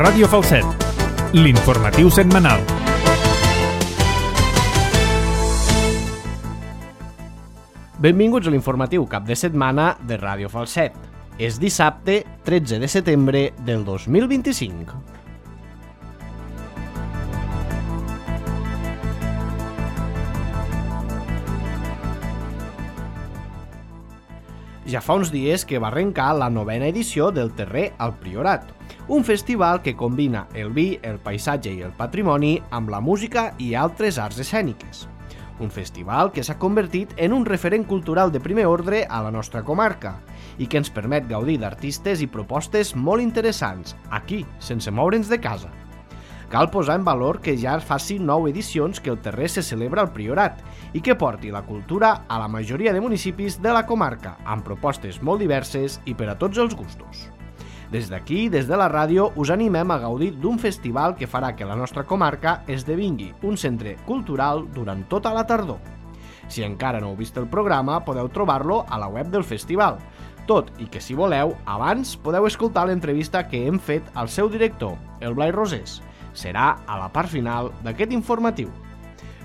Ràdio Falset, l'informatiu setmanal. Benvinguts a l'informatiu cap de setmana de Ràdio Falset. És dissabte 13 de setembre del 2025. Ja fa uns dies que va arrencar la 9ª edició del Terrer al Priorat, un festival que combina el vi, el paisatge i el patrimoni amb la música i altres arts escèniques. Un festival que s'ha convertit en un referent cultural de primer ordre a la nostra comarca i que ens permet gaudir d'artistes i propostes molt interessants, aquí, sense moure'ns de casa. Cal posar en valor que ja faci 9 edicions que el Terrer se celebra al Priorat i que porti la cultura a la majoria de municipis de la comarca, amb propostes molt diverses i per a tots els gustos. Des d'aquí, des de la ràdio, us animem a gaudir d'un festival que farà que la nostra comarca esdevingui un centre cultural durant tota la tardor. Si encara no heu vist el programa, podeu trobar-lo a la web del festival, tot i que si voleu, abans podeu escoltar l'entrevista que hem fet al seu director, el Blai Rosés. Serà a la part final d'aquest informatiu.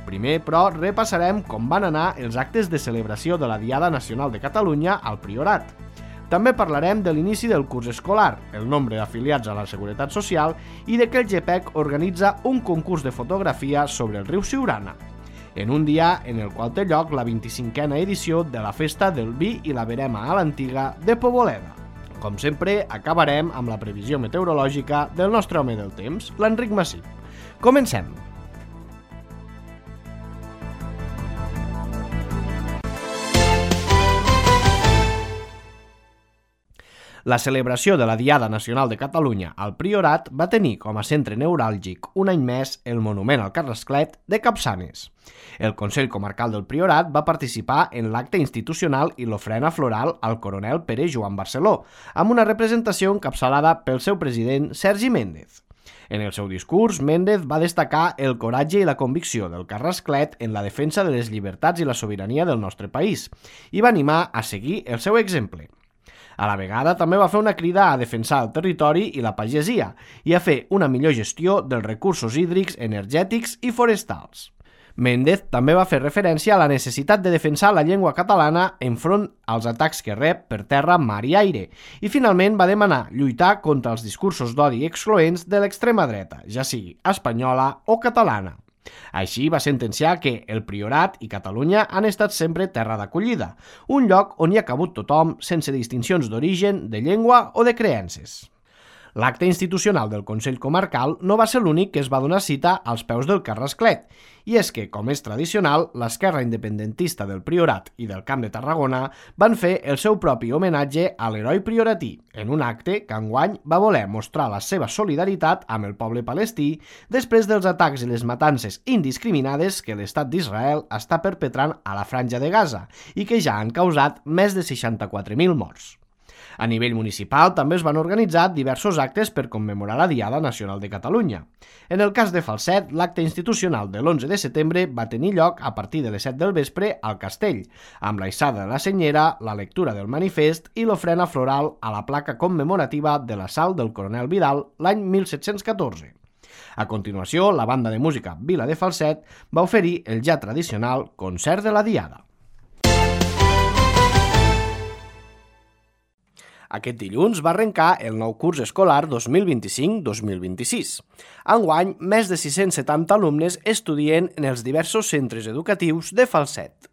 Primer, però, repassarem com van anar els actes de celebració de la Diada Nacional de Catalunya al Priorat. També parlarem de l'inici del curs escolar, el nombre d'afiliats a la Seguretat Social i de que el GPEC organitza un concurs de fotografia sobre el riu Siurana, en un dia en el qual té lloc la 25a edició de la Festa del Vi i la Verema a l'Antiga de Poboleda. Com sempre, acabarem amb la previsió meteorològica del nostre home del temps, l'Enric Massip. Comencem! La celebració de la Diada Nacional de Catalunya al Priorat va tenir com a centre neuràlgic un any més el monument al Carrasclet de Capçanes. El Consell Comarcal del Priorat va participar en l'acte institucional i l'ofrena floral al coronel Pere Joan Barceló, amb una representació encapçalada pel seu president Sergi Méndez. En el seu discurs, Méndez va destacar el coratge i la convicció del Carrasclet en la defensa de les llibertats i la sobirania del nostre país i va animar a seguir el seu exemple. A la vegada també va fer una crida a defensar el territori i la pagesia i a fer una millor gestió dels recursos hídrics, energètics i forestals. Méndez també va fer referència a la necessitat de defensar la llengua catalana enfront als atacs que rep per terra, mar i aire i finalment va demanar lluitar contra els discursos d'odi excloents de l'extrema dreta, ja sigui espanyola o catalana. Així va sentenciar que el Priorat i Catalunya han estat sempre terra d'acollida, un lloc on hi ha cabut tothom sense distincions d'origen, de llengua o de creences. L'acte institucional del Consell Comarcal no va ser l'únic que es va donar cita als peus del Carrasclet, i és que, com és tradicional, l'esquerra independentista del Priorat i del Camp de Tarragona van fer el seu propi homenatge a l'heroi prioratí, en un acte que enguany va voler mostrar la seva solidaritat amb el poble palestí després dels atacs i les matances indiscriminades que l'Estat d'Israel està perpetrant a la Franja de Gaza i que ja han causat més de 64.000 morts. A nivell municipal també es van organitzar diversos actes per commemorar la Diada Nacional de Catalunya. En el cas de Falset, l'acte institucional de l'11 de setembre va tenir lloc a partir de les 7 del vespre al Castell, amb la hissada de la senyera, la lectura del manifest i l'ofrena floral a la placa commemorativa de l'assalt del coronel Vidal l'any 1714. A continuació, la banda de música Vila de Falset va oferir el ja tradicional concert de la Diada. Aquest dilluns va arrencar el nou curs escolar 2025-2026. Enguany, més de 670 alumnes estudien en els diversos centres educatius de Falset.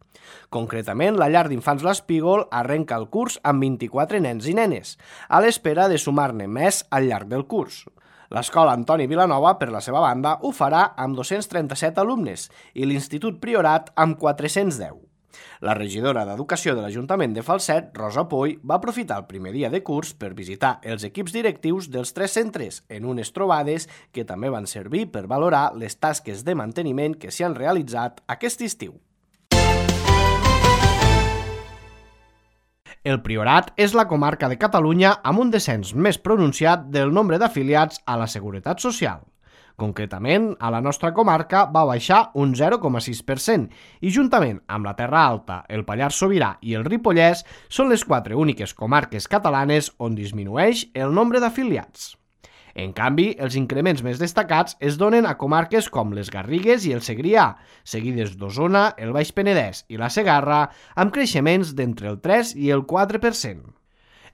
Concretament, la llar d'infants L'Espígol arrenca el curs amb 24 nens i nenes, a l'espera de sumar-ne més al llarg del curs. L'Escola Antoni Vilanova, per la seva banda, ho farà amb 237 alumnes i l'Institut Priorat amb 410. La regidora d'Educació de l'Ajuntament de Falset, Rosa Poy, va aprofitar el primer dia de curs per visitar els equips directius dels 3 centres en unes trobades que també van servir per valorar les tasques de manteniment que s'hi han realitzat aquest estiu. El Priorat és la comarca de Catalunya amb un descens més pronunciat del nombre d'afiliats a la Seguretat Social. Concretament, a la nostra comarca va baixar un 0,6% i juntament amb la Terra Alta, el Pallars Sobirà i el Ripollès són les 4 úniques comarques catalanes on disminueix el nombre d'afiliats. En canvi, els increments més destacats es donen a comarques com les Garrigues i el Segrià, seguides d'Osona, el Baix Penedès i la Segarra, amb creixements d'entre el 3 i el 4%.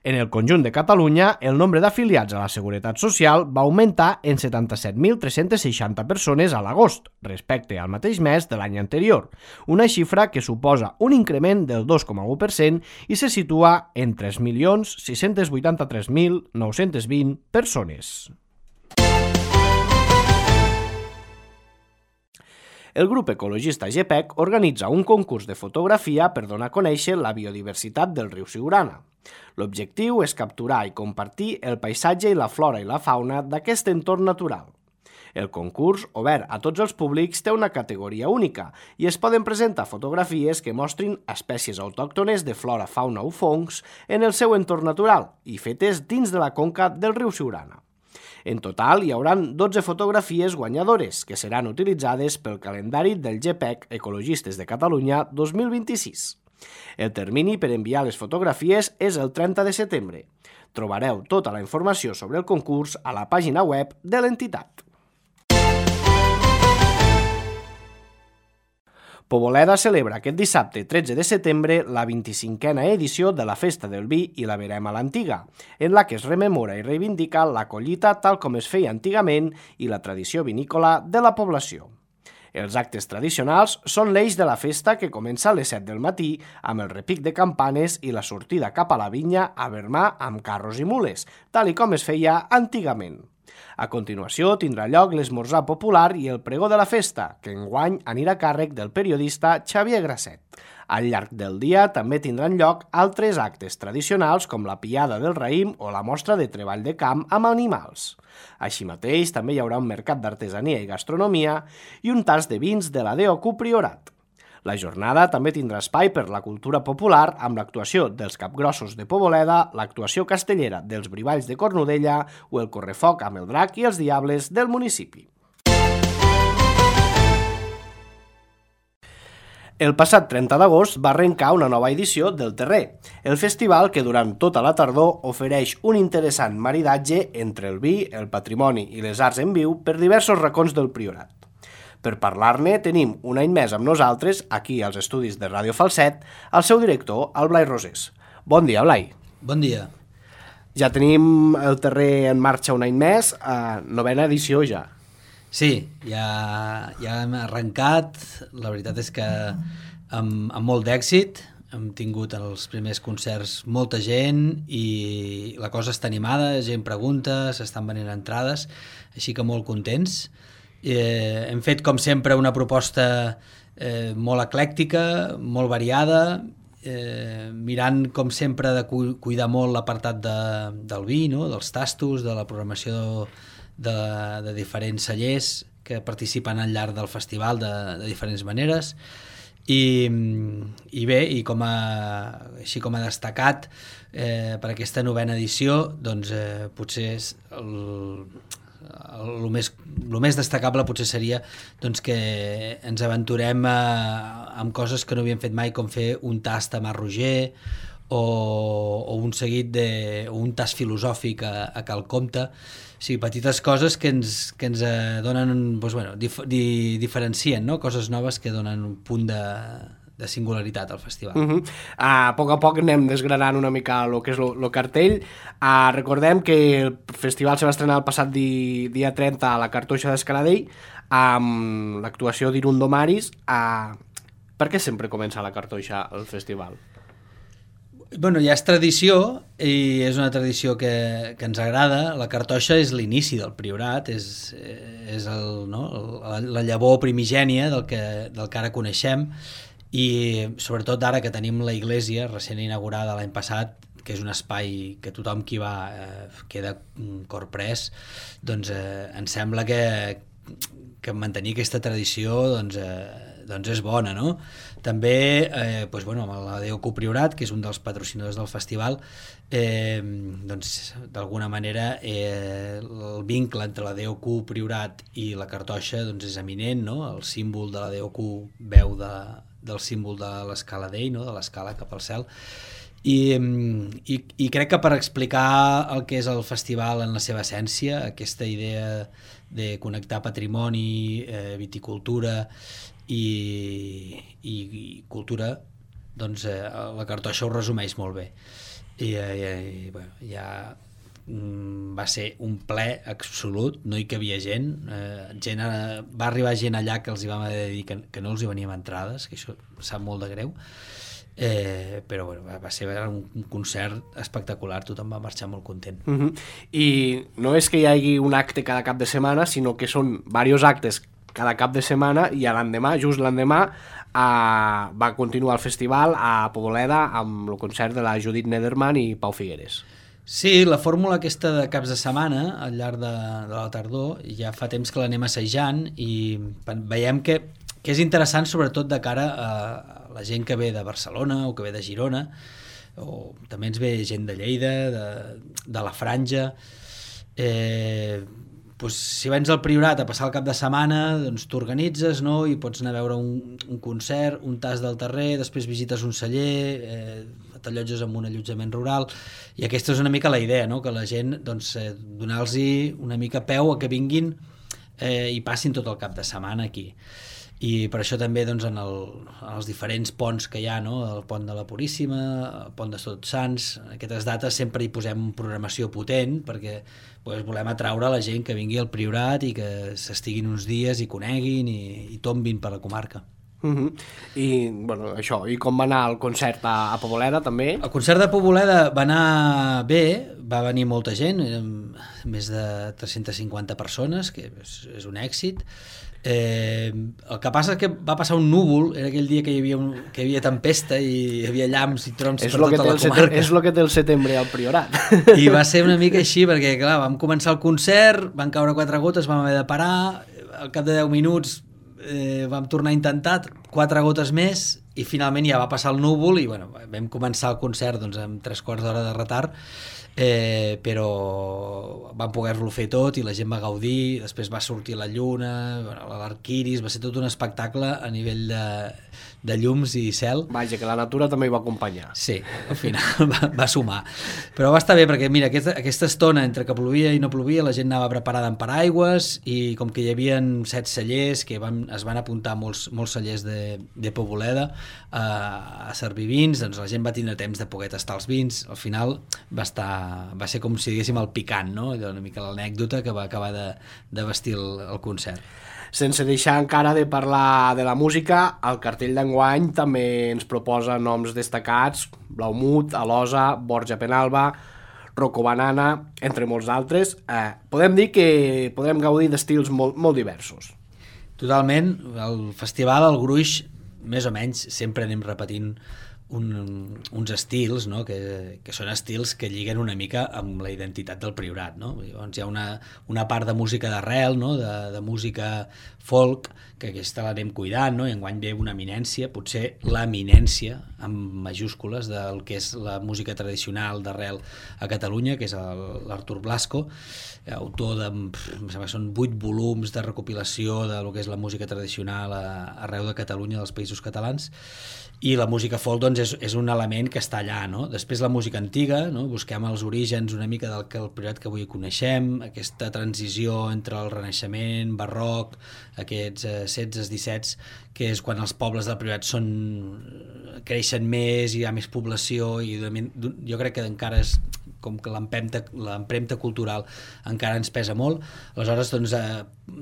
En el conjunt de Catalunya, el nombre d'afiliats a la Seguretat Social va augmentar en 77.360 persones a l'agost, respecte al mateix mes de l'any anterior, una xifra que suposa un increment del 2,1% i se situa en 3.683.920 persones. El grup ecologista GPEC organitza un concurs de fotografia per donar a conèixer la biodiversitat del riu Siurana. L'objectiu és capturar i compartir el paisatge i la flora i la fauna d'aquest entorn natural. El concurs, obert a tots els públics, té una categoria única i es poden presentar fotografies que mostrin espècies autòctones de flora, fauna o fongs en el seu entorn natural i fetes dins de la conca del riu Siurana. En total, hi haurà 12 fotografies guanyadores que seran utilitzades pel calendari del GPEC Ecologistes de Catalunya 2026. El termini per enviar les fotografies és el 30 de setembre. Trobareu tota la informació sobre el concurs a la pàgina web de l'entitat. Poboleda celebra aquest dissabte 13 de setembre la 25a edició de la Festa del Vi i la Verema a l'Antiga, en la que es rememora i reivindica la collita tal com es feia antigament i la tradició vinícola de la població. Els actes tradicionals són l'eix de la festa que comença a les 7 del matí amb el repic de campanes i la sortida cap a la vinya a vermar amb carros i mules, tal i com es feia antigament. A continuació tindrà lloc l'esmorzar popular i el pregó de la festa, que enguany anirà a càrrec del periodista Xavier Grasset. Al llarg del dia també tindran lloc altres actes tradicionals com la piada del raïm o la mostra de treball de camp amb animals. Així mateix també hi haurà un mercat d'artesania i gastronomia i un tast de vins de la DOQ Priorat. La jornada també tindrà espai per la cultura popular amb l'actuació dels Capgrossos de Poboleda, l'actuació castellera dels Brivalls de Cornudella o el correfoc amb el drac i els diables del municipi. El passat 30 d'agost va arrencar una nova edició del Terrer, el festival que durant tota la tardor ofereix un interessant maridatge entre el vi, el patrimoni i les arts en viu per diversos racons del Priorat. Per parlar-ne tenim un any més amb nosaltres, aquí als estudis de Ràdio Falset, el seu director, el Blai Rosés. Bon dia, Blai. Bon dia. Ja tenim el Terrer en marxa un any més, novena edició ja. Sí, ja hem arrencat, la veritat és que amb molt d'èxit, hem tingut els primers concerts molta gent i la cosa està animada, gent pregunta, s'estan venent entrades, així que molt contents. Hem fet, com sempre, una proposta molt eclèctica, molt variada, mirant, com sempre, de cuidar molt l'apartat del vi, no? Dels tastos, de la programació de diferents cellers que participen al llarg del festival de diferents maneres. I bé, i així com a destacat per aquesta novena edició, doncs potser és el més destacable potser seria doncs, que ens aventurem amb coses que no havíem fet mai, com fer un tast a Mas Roger o un seguit o un tast filosòfic a Cal Comte. O sigui, petites coses que ens donen, doncs, bueno, diferencien, no? Coses noves que donen un punt de singularitat al festival. A poc anem desgranant una mica el que és el cartell. Recordem que el festival se va estrenar el passat dia 30 a la Cartoixa d'Escaladell amb l'actuació d'Irundo Maris. Per què sempre comença a la Cartoixa el festival? Bueno, ja és tradició i és una tradició que ens agrada. La Cartoixa és l'inici del Priorat, és la llavor primigènia del que ara coneixem, i sobretot ara que tenim la iglesia recent inaugurada l'any passat, que és un espai que tothom qui va queda corprès, doncs ens sembla que mantenir aquesta tradició doncs és bona, no? També amb la DOQ Priorat, que és un dels patrocinadors del festival, doncs d'alguna manera el vincle entre la DOQ Priorat i la Cartoixa doncs és eminent, no? El símbol de la DOQ veu del símbol de l'escala d'ell, no? De l'escala cap al cel, I crec que per explicar el que és el festival en la seva essència, aquesta idea de connectar patrimoni, viticultura i cultura, doncs la Cartoixa ho resumeix molt bé. Bueno, va ser un ple absolut, no hi cabia gent, va arribar gent allà que els hi vam haver de dir que no els hi veníem entrades, que això sap molt de greu. Però bueno, va ser un concert espectacular, tothom va marxar molt content. I no és que hi hagi un acte cada cap de setmana, sinó que són diversos actes cada cap de setmana, i l'endemà, just l'endemà, va continuar el festival a Poboleda amb el concert de la Judit Nederman i Pau Figueres. Sí, la fórmula aquesta de caps de setmana al llarg de la tardor ja fa temps que l'anem assajant i veiem que és interessant, sobretot de cara a la gent que ve de Barcelona o que ve de Girona, o també ens ve gent de Lleida, de la Franja. Doncs, si vens al Priorat a passar el cap de setmana, doncs t'organitzes, no? I pots anar a veure un concert, un tas del terrer, després visites un celler, t'allotges en un allotjament rural, i aquesta és una mica la idea, no? Que la gent, doncs, donar-los una mica peu a que vinguin i passin tot el cap de setmana aquí. I per això també, doncs, en els diferents ponts que hi ha, no? El pont de la Puríssima, el pont de Tots Sants, aquestes dates sempre hi posem programació potent perquè volem atraure la gent que vingui al Priorat i que s'estiguin uns dies i coneguin i tombin per la comarca. I, bueno, això, i com va anar el concert a Poboleda també? El concert de Poboleda va anar bé, va venir molta gent, més de 350 persones, que és un èxit. El que passa és que va passar un núvol, era aquell dia que hi havia tempesta i hi havia llamps i trons per tota la comarca. És el que té el setembre al Priorat. I va ser una mica així, perquè clar, vam començar el concert, van caure 4 gotes, vam haver de parar, al cap de 10 minuts vam tornar a intentar 4 gotes més i finalment ja va passar el núvol i bueno, vam començar el concert doncs, amb 3/4 d'hora de retard, però vam poder-lo fer tot i la gent va gaudir, després va sortir la lluna, l'arquiris, va ser tot un espectacle a nivell de llums i cel. Vaja, que la natura també hi va acompanyar. Sí, al final va sumar. Però va estar bé perquè, mira, aquesta estona entre que plovia i no plovia, la gent anava preparada amb paraigües i com que hi havia 7 cellers, que es van apuntar molts cellers de Poboleda a servir vins, doncs la gent va tindre temps de poder tastar els vins. Al final va ser com si diguéssim el picant, no? Allò, una mica l'anècdota que va acabar de vestir el concert. Sense deixar encara de parlar de la música, el cartell d'enguany també ens proposa noms destacats: Blaumut, Alosa, Borja Penalba, Rocco Banana, entre molts altres. Podem dir que podem gaudir d'estils molt diversos. Totalment. El festival, el gruix, més o menys, sempre anem repetint uns estils, no? que són estils que lliguen una mica amb la identitat del Priorat, no? Llavors hi ha una part de música d'arrel, no? de música folk, que aquesta l'anem cuidant, no? I enguany ve una eminència, potser l'eminència amb majúscules del que és la música tradicional d'arrel a Catalunya, que és l'Artur Blasco, autor em sembla que són 8 volums de recopilació de lo que és la música tradicional arreu de Catalunya, dels Països Catalans. I la música folk doncs, és un element que està allà, no? Després la música antiga, no? Busquem els orígens una mica del que el Priorat que avui coneixem, aquesta transició entre el Renaixement, barroc, aquests 16-17, que és quan els pobles del Priorat creixen més, hi ha més població, i jo crec que encara és com que l'empremta cultural encara ens pesa molt. Aleshores, doncs,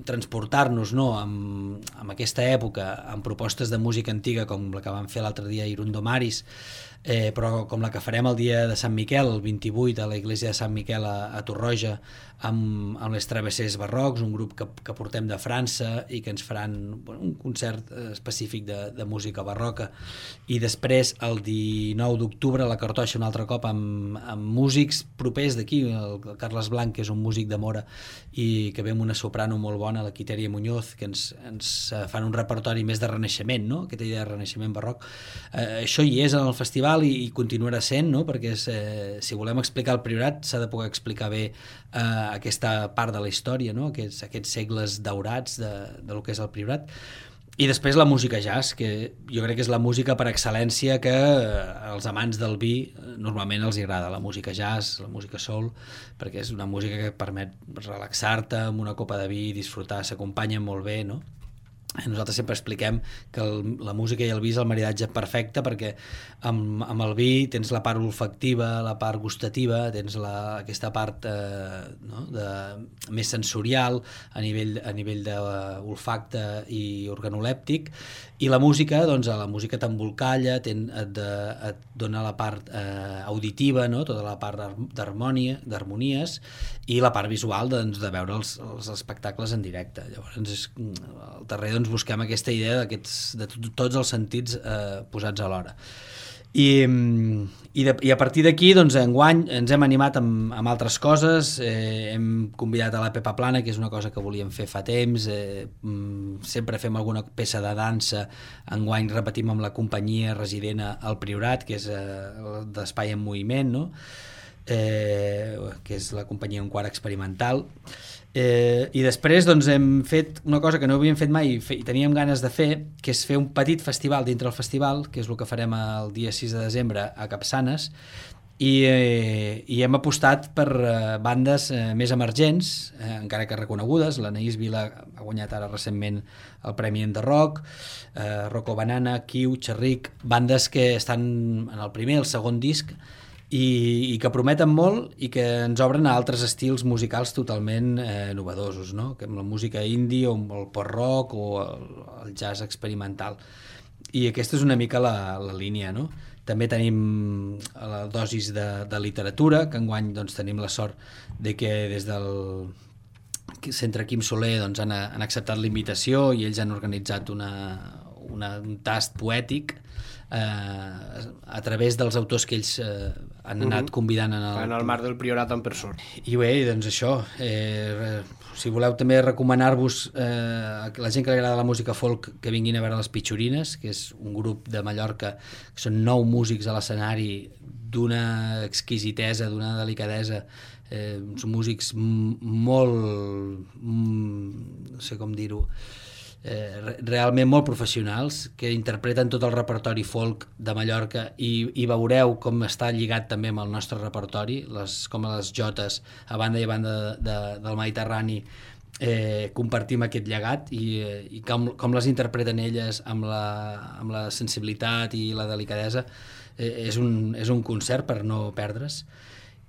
transportar-nos, no, amb aquesta època, amb propostes de música antiga com la que vam fer l'altre dia a Irundo Maris, però com la que farem el dia de Sant Miquel, el 28, a la Iglesia de Sant Miquel a Torroja, amb les Travessers Barrocs, un grup que portem de França i que ens faran un concert específic de música barroca. I després, el 19 d'octubre, a la Cartoixa, un altre cop, amb músics propers d'aquí, el Carles Blanc, que és un músic de Mora, i que ve amb una soprano molt bona, la Quiteria Muñoz, que ens fan un repertori més de renaixement, no? Aquesta idea de renaixement barroc. Això hi és en el festival i continuarà sent, no? Perquè si volem explicar el Priorat s'ha de poder explicar bé aquesta part de la història, no? Aquests segles daurats de lo que és el Priorat. I després la música jazz, que jo crec que és la música per excel·lència que als amants del vi normalment els agrada, la música jazz, la música soul, perquè és una música que permet relaxar-te amb una copa de vi i disfrutar, s'acompanya molt bé, no? Nosaltres sempre expliquem que la música i el vi és el maridatge perfecte, perquè amb el vi tens la part olfactiva, la part gustativa, tens aquesta part no, més sensorial a nivell d'olfacte i organolèptic, i la música, doncs la música t'embolcalla, et dona la part auditiva, no? Tota la part d'harmonies, i la part visual, doncs, de veure els espectacles en directe. Llavors al darrere busquem aquesta idea de tots els sentits posats alhora. I a partir d'aquí, doncs, enguany ens hem animat amb altres coses, hem convidat a la Pepa Plana, que és una cosa que volíem fer fa temps, sempre fem alguna peça de dansa, enguany repetim amb la companyia resident al Priorat, que és d'Espai en Moviment, no? Que és la companyia Un Quart Experimental, i després doncs, hem fet una cosa que no havíem fet mai i teníem ganes de fer, que és fer un petit festival dintre el festival, que és el que farem el dia 6 de desembre a Capçanes, i hem apostat per bandes més emergents, encara que reconegudes. L'Anaïs Vila ha guanyat ara recentment el Premi en The Rock, Rocco Banana, Kiu, Xerric, bandes que estan en el primer, el segon disc, i que prometen molt i que ens obren a altres estils musicals totalment novedosos, no? Que amb la música indie o el post-rock o el jazz experimental. I aquesta és una mica la línia, no? També tenim la dosis de literatura, que enguany doncs, tenim la sort de que des del Centre Quim Soler doncs, han acceptat la invitació i ells han organitzat un tast poètic a través dels autors que ells han anat convidant en el marc del Priorat en persona. I bé, doncs això, si voleu també recomanar-vos a la gent que li agrada la música folk que vinguin a veure les Pitxorines, que és un grup de Mallorca, que són 9 músics a l'escenari d'una exquisitesa, d'una delicadesa, són músics molt, no sé com dir-ho, realment molt professionals, que interpreten tot el repertori folk de Mallorca i veureu com està lligat també amb el nostre repertori, com les jotes a banda i a banda del Mediterrani compartim aquest llegat i com les interpreten elles amb la sensibilitat i la delicadesa. És un concert per no perdre's.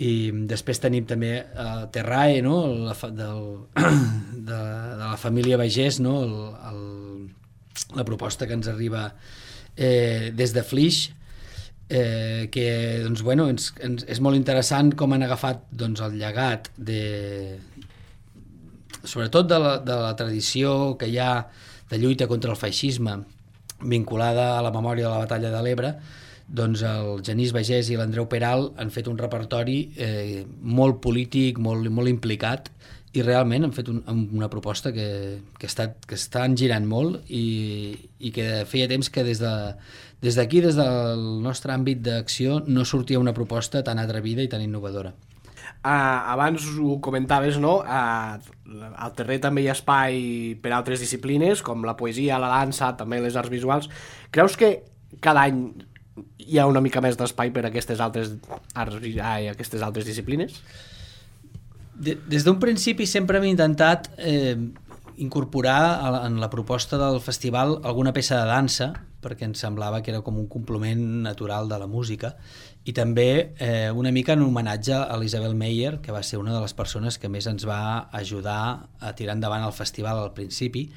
I després tenim també Terrae, no? de la família Bagés, no? La proposta que ens arriba des de Flix, que doncs, bueno, és molt interessant com han agafat doncs, el llegat sobretot de la tradició que hi ha de lluita contra el feixisme vinculada a la memòria de la batalla de l'Ebre. Doncs el Genís Bagés i l'Andreu Peral han fet un repertori molt polític, molt implicat, i realment han fet una proposta que estan girant molt i que feia temps que des d'aquí, des del nostre àmbit d'acció, no sortia una proposta tan atrevida i tan innovadora. Abans ho comentaves, no? Al Terrer també hi ha espai per altres disciplines, com la poesia, la dansa, també les arts visuals. Creus que cada any hi ha una mica més d'espai per a aquestes altres disciplines? Des d'un principi sempre hem intentat incorporar en la proposta del festival alguna peça de dansa, perquè ens semblava que era com un complement natural de la música, i també una mica en homenatge a l'Isabel Meyer, que va ser una de les persones que més ens va ajudar a tirar endavant el festival al principi,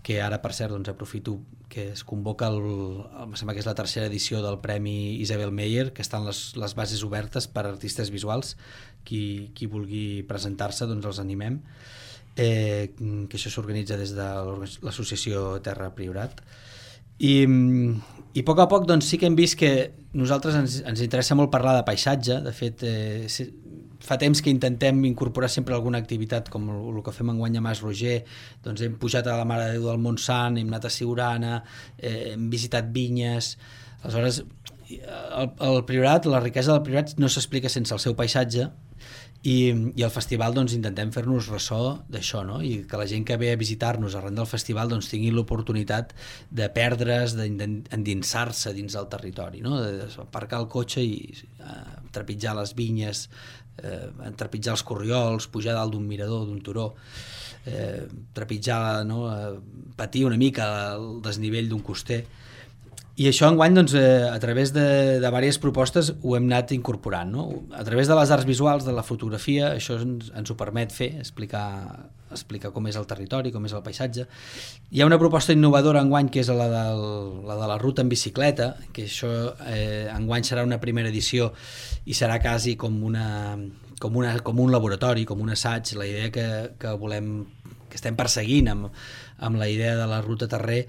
que ara, per cert, doncs, aprofito que es convoca em sembla que és la 3ª edició del Premi Isabel Meyer, que estan les bases obertes per a artistes visuals. Qui vulgui presentar-se, doncs els animem, que això s'organitza des de l'associació Terra Priorat. I a poc doncs, sí que hem vist que nosaltres ens interessa molt parlar de paisatge. De fet, fa temps que intentem incorporar sempre alguna activitat, com el que fem enguany a Mas Roger. Doncs hem pujat a la Mare de Déu del Montsant, hem anat a Siurana, hem visitat vinyes. Aleshores, el Priorat, la riquesa del Priorat no s'explica sense el seu paisatge, i al festival doncs, intentem fer-nos ressò d'això, no? I que la gent que ve a visitar-nos arran del festival doncs, tingui l'oportunitat de perdre's, d'endinsar-se dins del territori, no? Aparcar el cotxe i trepitjar les vinyes, trepitjar els corriols, pujar dalt d'un mirador, d'un turó, trepitjar, no? Patir una mica el desnivell d'un coster. I això enguany, doncs, a través de diverses propostes ho hem anat incorporant, no? A través de les arts visuals, de la fotografia, això ens ho permet fer, explicar com és el territori, com és el paisatge. Hi ha una proposta innovadora enguany que és la de la ruta en bicicleta, que això enguany serà una primera edició i serà quasi com un laboratori, com un assaig. La idea que estem perseguint amb la idea de la ruta terrer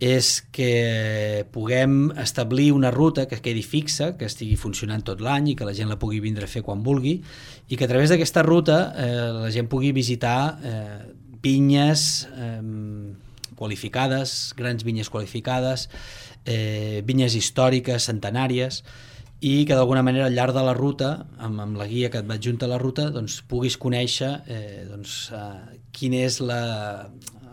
és que puguem establir una ruta que quedi fixa, que estigui funcionant tot l'any i que la gent la pugui vindre a fer quan vulgui, i que a través d'aquesta ruta la gent pugui visitar vinyes qualificades, grans vinyes qualificades, vinyes històriques, centenàries, i que d'alguna manera al llarg de la ruta, amb la guia que et va adjunta a la ruta, doncs, puguis conèixer quin és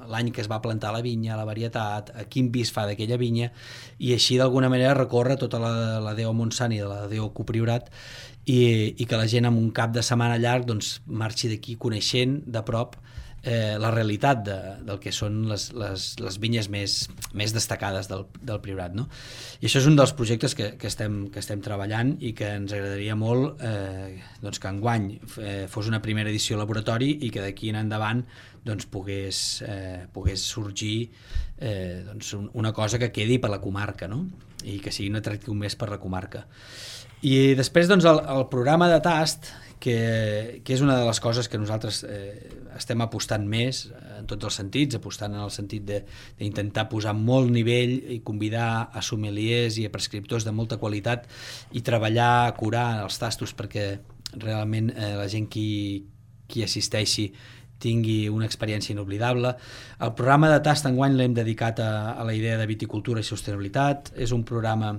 l'any que es va plantar la vinya, la varietat, quin vi es fa d'aquella vinya, i així d'alguna manera recórrer tota la Déu Montsant i la Déu Copriorat, i que la gent en un cap de setmana llarg doncs, marxi d'aquí coneixent de prop la realitat del que són les vinyes més destacades del Priorat, no? I això és un dels projectes que estem treballant i que ens agradaria molt doncs que enguany fos una primera edició laboratori i que d'aquí en endavant doncs, pogués sorgir doncs, una cosa que quedi per la comarca, no? I que sigui un atractiu més per la comarca. I després doncs, el programa de tast, que és una de les coses que nosaltres estem apostant més en tots els sentits, apostant en el sentit d'intentar posar molt nivell i convidar a sommeliers i a prescriptors de molta qualitat i treballar, curar els tastos perquè realment la gent qui assisteixi tingui una experiència inoblidable. El programa de tast enguany l'hem dedicat a la idea de viticultura i sostenibilitat. És un programa,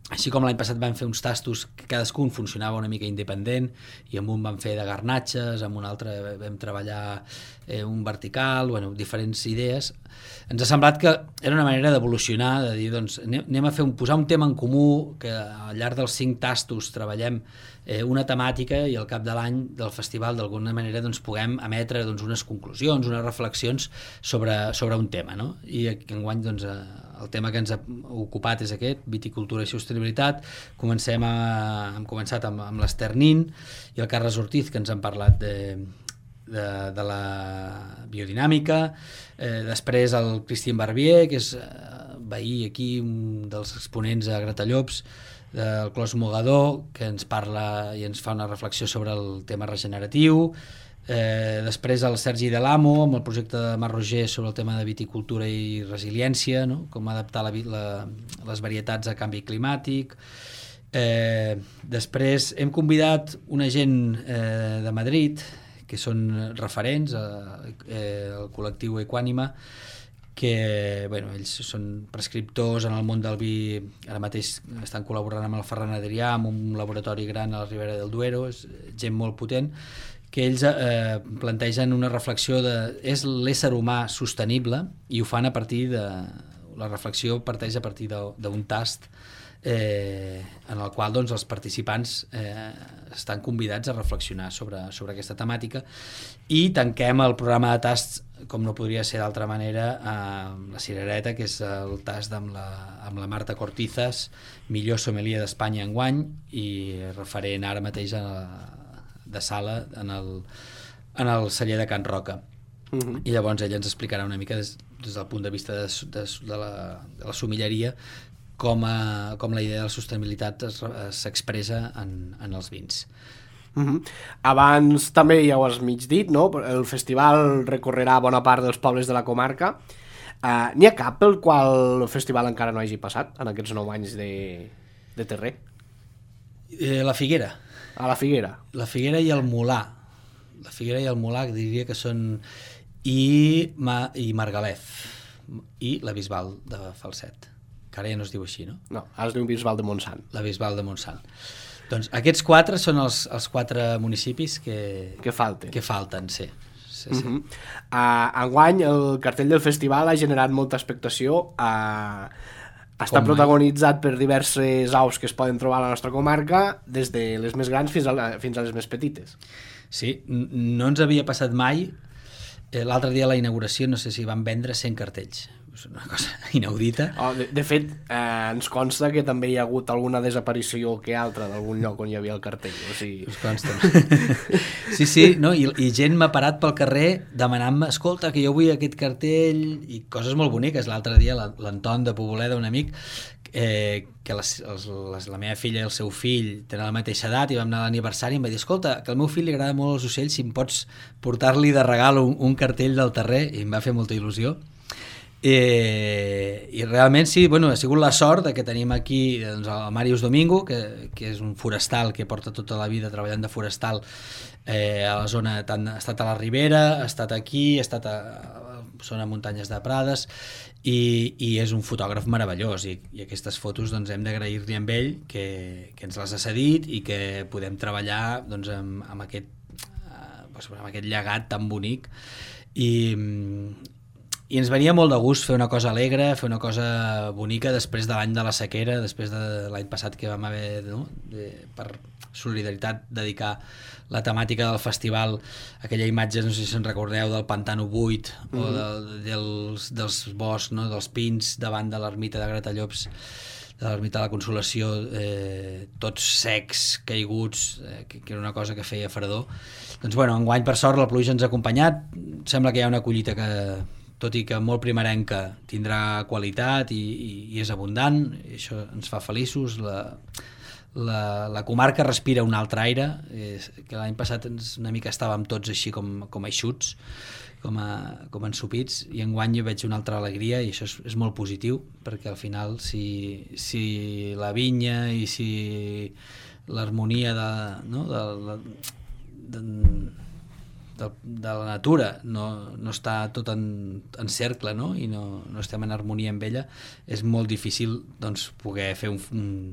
així com l'any passat vam fer uns tastos que cadascun funcionava una mica independent, i amb un vam fer de garnatxes, amb un altre vam treballar un vertical, diferents idees. Ens ha semblat que era una manera d'evolucionar, de dir, doncs, anem a posar un tema en comú, que al llarg dels 5 tastos treballem una temàtica i al cap de l'any del festival d'alguna manera doncs, puguem emetre doncs, unes conclusions, unes reflexions sobre un tema, no? I enguany doncs, el tema que ens ha ocupat és aquest, viticultura i sostenibilitat. Hem començat amb l'Ester Nin i el Carles Ortiz, que ens han parlat de la biodinàmica, després el Cristian Barbier, que és veí aquí, un dels exponents a Gratallops, del Clos Mogador, que ens parla i ens fa una reflexió sobre el tema regeneratiu. Després el Sergi Delamo amb el projecte de Mar Roger sobre el tema de viticultura i resiliència, no? Com adaptar les varietats a canvi climàtic. Després hem convidat una gent de Madrid que són referents, el col·lectiu Equànima, que ells són prescriptors en el món del vi. Ara mateix estan col·laborant amb el Ferran Adrià, amb un laboratori gran a la Ribera del Duero, és gent molt potent, que ells plantegen una reflexió és l'ésser humà sostenible, i ho fan a partir la reflexió parteix a partir d'un tast en el qual doncs, els participants estan convidats a reflexionar sobre aquesta temàtica, i tanquem el programa de tasts, com no podria ser d'altra manera, amb la cirereta, que és el tast amb la Marta Cortizas, millor sommelier d'Espanya enguany i referent ara mateix de sala en el celler de Can Roca. I llavors ella ens explicarà una mica des del punt de vista de la sommelleria com la idea de la sostenibilitat s'expressa en els vins. Abans també ja ho has mig dit, no? El festival recorrerà bona part dels pobles de la comarca. N'hi ha cap pel qual el festival encara no hagi passat en aquests 9 anys de terrer? La Figuera. A la Figuera. La Figuera i el Molar. La Figuera i el Molar, que diria que són... I Margalef. I la Bisbal de Falset. que ara ja no es diu així, no? No, ara es diu Bisbal de Montsant. La Bisbal de Montsant. Doncs aquests 4 són els 4 municipis que falten, sí. Enguany el cartell del festival ha generat molta expectació, està protagonitzat per diverses aus que es poden trobar a la nostra comarca, des de les més grans fins a les més petites. Sí, no ens havia passat mai. L'altre dia a la inauguració no sé si van vendre 100 cartells. És una cosa inaudita. De fet, ens consta que també hi ha hagut alguna desaparició que altra d'algun lloc on hi havia el cartell. O sigui... Us consta. Sí, no? I gent m'ha parat pel carrer demanant-me, escolta, que jo vull aquest cartell, i coses molt boniques. L'altre dia l'Anton de Poboleda, un amic, que la meva filla i el seu fill tenen la mateixa edat i vam anar a l'aniversari i em va dir, escolta, que al meu fill li agrada molt els ocells, si em pots portar-li de regal un cartell del terrer, i em va fer molta il·lusió. I realment sí, bueno, ha sigut la sort de que tenim aquí doncs, el Màrius Domingo, que és un forestal que porta tota la vida treballant de forestal a la zona, ha estat a la Ribera, ha estat aquí, ha estat a zona muntanyes de Prades, i és un fotògraf meravellós, i aquestes fotos doncs, hem d'agrair-li amb ell que ens les ha cedit i que podem treballar doncs, amb aquest llegat tan bonic, i ens venia molt de gust fer una cosa alegre, fer una cosa bonica després de l'any de la sequera, després de l'any passat que vam haver, no? Per solidaritat, dedicar la temàtica del festival, aquella imatge, no sé si se'n recordeu, del pantano buit o dels boscs, no? Dels pins davant de l'ermita de Gratallops, de l'ermita de la Consolació, tots secs, caiguts, que era una cosa que feia fredor. Doncs bueno, enguany per sort la pluja ens ha acompanyat, sembla que hi ha una collita que, tot i que molt primerenca, tindrà qualitat i és abundant, i això ens fa feliços. La comarca respira un altre aire, que l'any passat una mica estàvem tots així com eixuts, com ensopits, i enguany jo veig una altra alegria, i això és molt positiu, perquè al final si la vinya i si l'harmonia de la natura no està tot en cercle, no? I no estem en harmonia amb ella, és molt difícil doncs, poder fer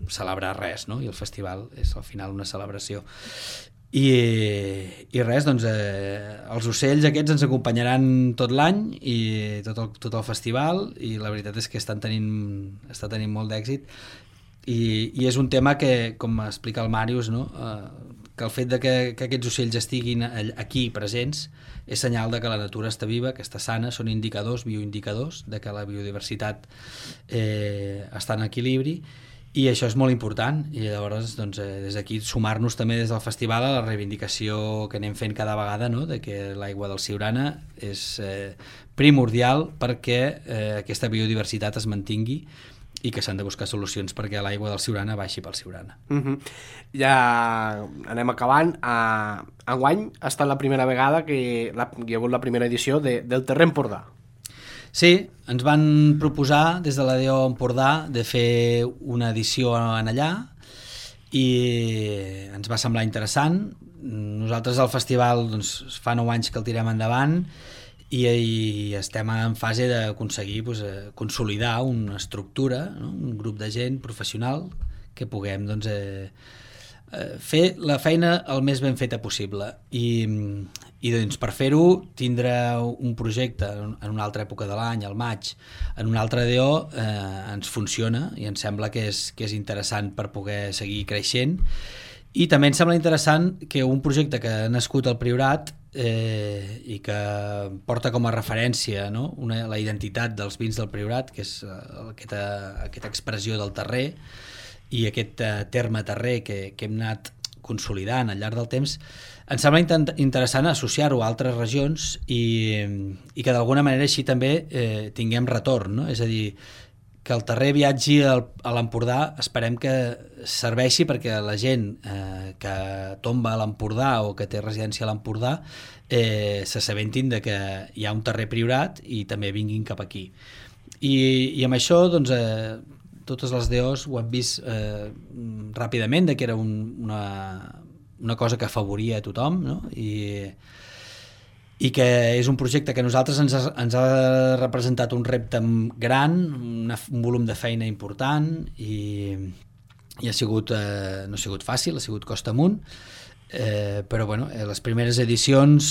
celebrar res, no? I el festival és al final una celebració. I res, doncs els ocells aquests ens acompanyaran tot l'any i tot el festival, i la veritat és que està tenint molt d'èxit, i és un tema que, com explica el Màrius, no? Que el fet de que aquests ocells estiguin aquí presents és senyal de que la natura està viva, que està sana, són indicadors, bioindicadors, de que la biodiversitat està en equilibri, i això és molt important, i llavors doncs, des d'aquí sumar-nos també des del festival a la reivindicació que anem fent cada vegada, no? De que l'aigua del Siurana és primordial perquè aquesta biodiversitat es mantingui, i que s'han de buscar solucions perquè l'aigua del Siurana baixi pel Siurana. Ja anem acabant. Enguany ha estat la primera vegada que hi ha hagut la primera edició del Terrer Empordà. Sí, ens van proposar des de la DO Empordà de fer una edició en allà, i ens va semblar interessant. Nosaltres al festival doncs, fa 9 anys que el tirem endavant, i estem en fase d'aconseguir consolidar una estructura, no? Un grup de gent professional que puguem doncs, fer la feina el més ben feta possible, i doncs, per fer-ho tindre un projecte en una altra època de l'any, al maig, en un altre DO, ens funciona i ens sembla que és interessant per poder seguir creixent. I també em sembla interessant que un projecte que ha nascut al Priorat i que porta com a referència, no? La identitat dels vins del Priorat, que és aquesta expressió del terrer i aquest terme terrer que hem anat consolidant al llarg del temps, em sembla interessant associar-ho a altres regions i que d'alguna manera així també tinguem retorn, no? És a dir, que el terrer viatgi a l'Empordà, esperem que serveixi perquè la gent que tomba a l'Empordà o que té residència a l'Empordà s'assabentin de que hi ha un terrer Priorat i també vinguin cap aquí. I amb això doncs, totes les DOs ho han vist ràpidament, de que era una cosa que afavoria a tothom, no? i que és un projecte que a nosaltres ens ha representat un repte gran, un volum de feina important i ha sigut, no ha sigut fàcil, ha sigut costa amunt, però bueno, les primeres edicions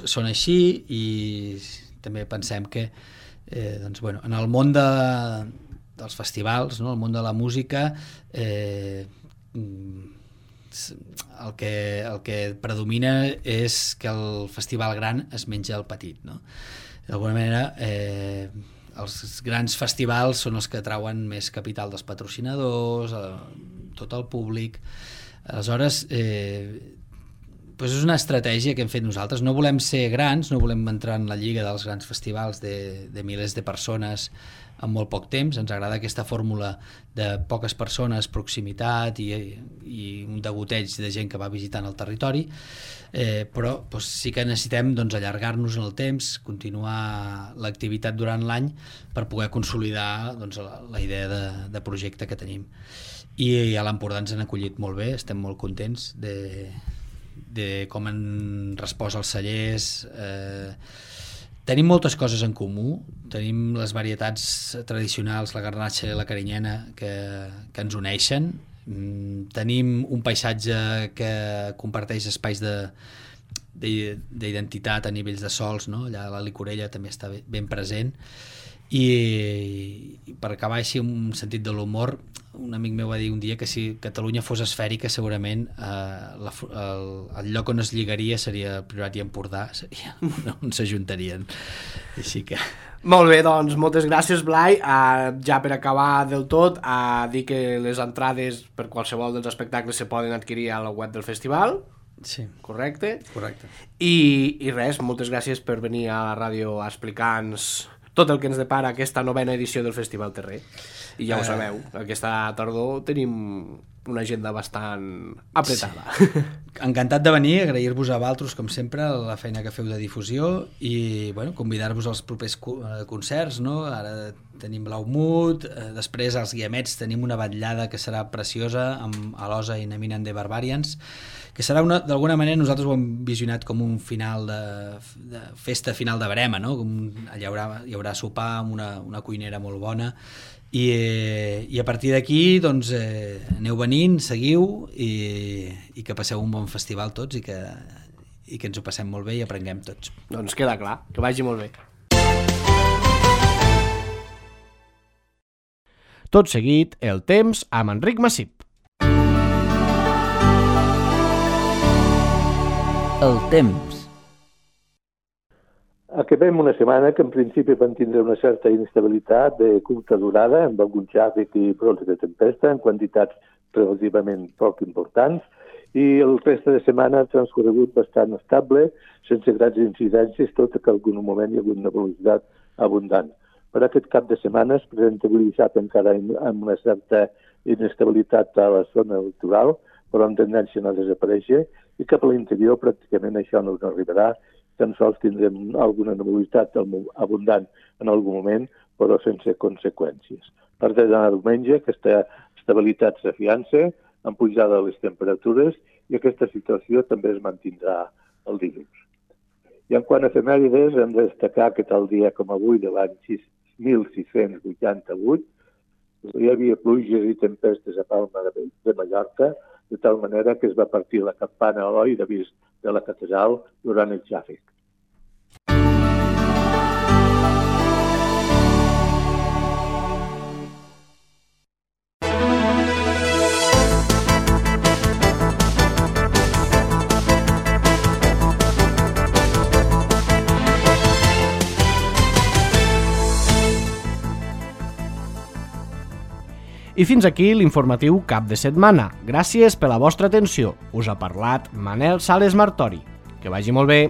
són així i també pensem que doncs, bueno, en el món dels festivals, no? El món de la música, el que predomina és que el festival gran es menja el petit, no? D'alguna manera els grans festivals són els que trauen més capital dels patrocinadors, tot el públic. Aleshores doncs és una estratègia que hem fet nosaltres. No volem ser grans, no volem entrar en la lliga dels grans festivals de milers de persones en molt poc temps. Ens agrada aquesta fórmula de poques persones, proximitat i un degoteig de gent que va visitant el territori, però doncs, sí que necessitem allargar-nos en el temps, continuar l'activitat durant l'any per poder consolidar la idea de projecte que tenim. I a l'Empordà ens han acollit molt bé, estem molt contents de com han respost els cellers. Tenim moltes coses en comú, tenim les varietats tradicionals, la garnatxa i la carinyena, que ens uneixen. Tenim un paisatge que comparteix espais d'identitat a nivells de sols, no? Allà la Licorella també està ben present. I per acabar així un sentit de l'humor, un amic meu va dir un dia que si Catalunya fos esfèrica segurament el lloc on es lligaria seria el Priorat i Empordà, seria on s'ajuntarien. Així que... Molt bé, doncs moltes gràcies, Blai. Ja per acabar del tot, dir que les entrades per qualsevol dels espectacles se poden adquirir a la web del festival. Sí. Correcte? Correcte. I res, moltes gràcies per venir a la ràdio a explicar-nos tot el que ens depara aquesta 9ª edició del Festival Terrer. I ja ho sabeu, aquesta tardor tenim una agenda bastant apretada. Sí. Encantat de venir, agrair-vos a vosaltres, com sempre, la feina que feu de difusió i bueno, convidar-vos als propers concerts, no? Ara tenim Blaumut, després als Guiamets tenim una vetllada que serà preciosa amb Alosa i Naminen de Barbarians, que serà d'alguna manera nosaltres ho hem visionat com un final de festa final de Verema, no? Hi haurà sopar amb una cuinera molt bona i a partir d'aquí doncs, aneu venint, seguiu i que passeu un bon festival tots i que ens ho passem molt bé i aprenguem tots. Doncs queda clar, que vagi molt bé. Tot seguit, el temps amb Enric Massip. El temps. Acabem una setmana que en principi van tindre una certa inestabilitat de curta durada, amb algun xàfic i brots de tempesta, en quantitats relativament poc importants, i el reste de setmana ha transcorregut bastant estable, sense grans incidències, tot i que en algun moment hi ha hagut una velocitat abundant. Per aquest cap de setmana es presenta avui dissabte encara amb una certa inestabilitat a la zona litoral, però amb tendència a no desaparèixer, i cap a l'interior pràcticament això no arribarà, tan sols tindrem alguna nebulitat abundant en algun moment, però sense conseqüències. A partir de diumenge, aquesta estabilitat s'afiança, amb pujada de les temperatures, i aquesta situació també es mantindrà el dilluns. I en quant a efemèrides, hem de destacar que tal dia com avui de l'any 1688 hi havia pluges i tempestes a Palma de Mallorca, de tal manera que es va partir la campana a l'oi d'avís de la catedral durant el xàfic. I fins aquí l'informatiu cap de setmana. Gràcies per la vostra atenció. Us ha parlat Manel Sales Martori. Que vagi molt bé.